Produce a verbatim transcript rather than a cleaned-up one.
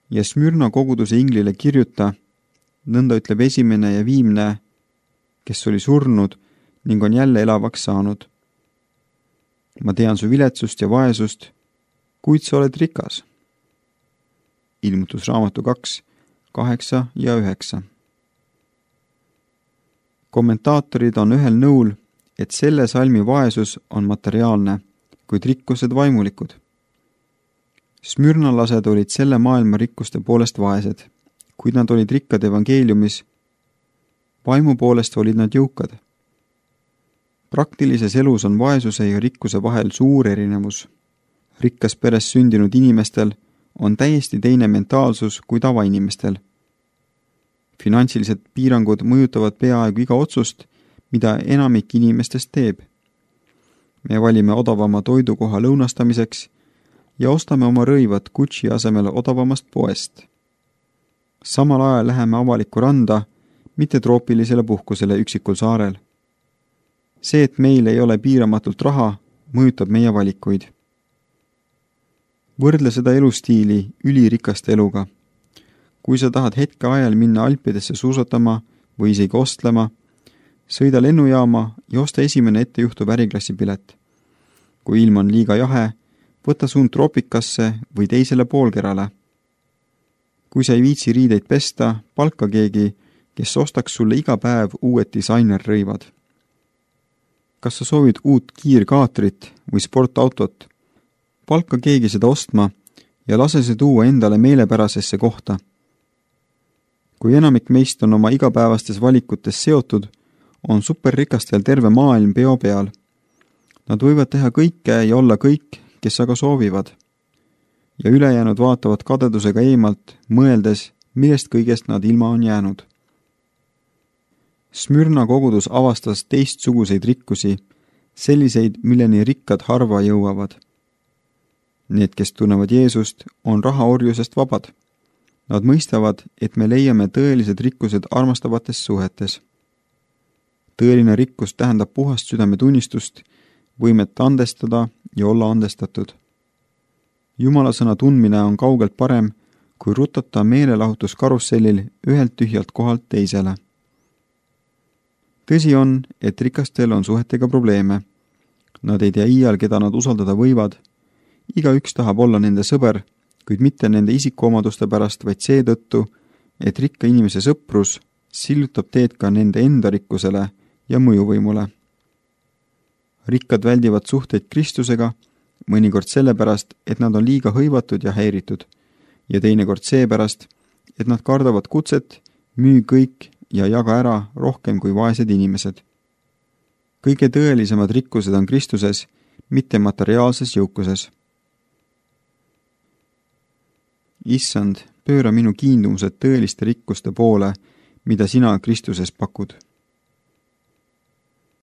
ja Smürna koguduse inglile kirjuta, nõnda ütleb esimene ja viimne, kes oli surnud ning on jälle elavaks saanud. Ma tean su viletsust ja vaesust, kuid sa oled rikas. Ilmutusraamatu kaks, kaheksa ja üheksa. Kommentaatorid on ühel nõul, et selle salmi vaesus on materiaalne, kuid rikkused vaimulikud. Smürnalased olid selle maailma rikkuste poolest vaesed, kuid nad olid rikkad evangeeliumis. Vaimu poolest olid nad jõukad. Praktilises elus on vaesuse ja rikkuse vahel suur erinevus. Rikkas peres sündinud inimestel on täiesti teine mentaalsus kui tavainimestel. Finantsilised piirangud mõjutavad peaaegu iga otsust, mida enamik inimestest teeb. Me valime odavama toidukoha lõunastamiseks ja ostame oma rõivad Gucci asemel odavamast poest. Samal ajal läheme avalikku randa, mitte troopilisele puhkusele üksikul saarel. See, et meil ei ole piiramatult raha, mõjutab meie valikuid. Võrdle seda elustiili ülirikaste eluga. Kui sa tahad hetke ajal minna Alpidesse suusatama või isegi ostlema, sõida lennujaama ja osta esimene ettejuhtuv äriklassi pilet. Kui ilm on liiga jahe, võta suund troopikasse või teisele poolkerale. Kui sa ei viitsi riideid pesta, palka keegi, kes ostaks sulle iga päev uued disainerrõivad. Kas sa soovid uut kiirkaatrit või sportautot? Palka keegi seda ostma ja lase see tuua endale meelepärasesse kohta. Kui enamik meist on oma igapäevastes valikutes seotud, on superrikastel terve maailm peo peal. Nad võivad teha kõike ja olla kõik, kes aga soovivad. Ja ülejäänud vaatavad kadedusega eemalt, mõeldes, millest kõigest nad ilma on jäänud. Smürna kogudus avastas teistsuguseid rikkusi, selliseid, milleni rikkad harva jõuavad. Need, kes tunnevad Jeesust, on rahaorjusest vabad. Nad mõistavad, et me leiame tõelised rikkused armastavates suhetes. Tõeline rikkus tähendab puhast südametunnistust, võimet andestada ja olla andestatud. Jumala sõna tundmine on kaugelt parem, kui rutata meelelahutuskarussellil ühelt tühjalt kohalt teisele. Tõsi on, et rikastel on suhetega probleeme. Nad ei tea iial, keda nad usaldada võivad. Iga üks tahab olla nende sõber, kuid mitte nende isikuomaduste pärast, vaid seetõttu, et rikka inimese sõprus sillutab teed ka nende enda rikkusele ja mõjuvõimule. Rikkad väldivad suhteid Kristusega, mõnikord sellepärast, et nad on liiga hõivatud ja häiritud, ja teinekord seepärast, et nad kardavad kutset, müü kõik ja jaga ära rohkem kui vaesed inimesed. Kõige tõelisemad rikkused on Kristuses, mitte materiaalses jõukuses. Issand, pööra minu kiindumused tõeliste rikkuste poole, mida sina Kristuses pakud.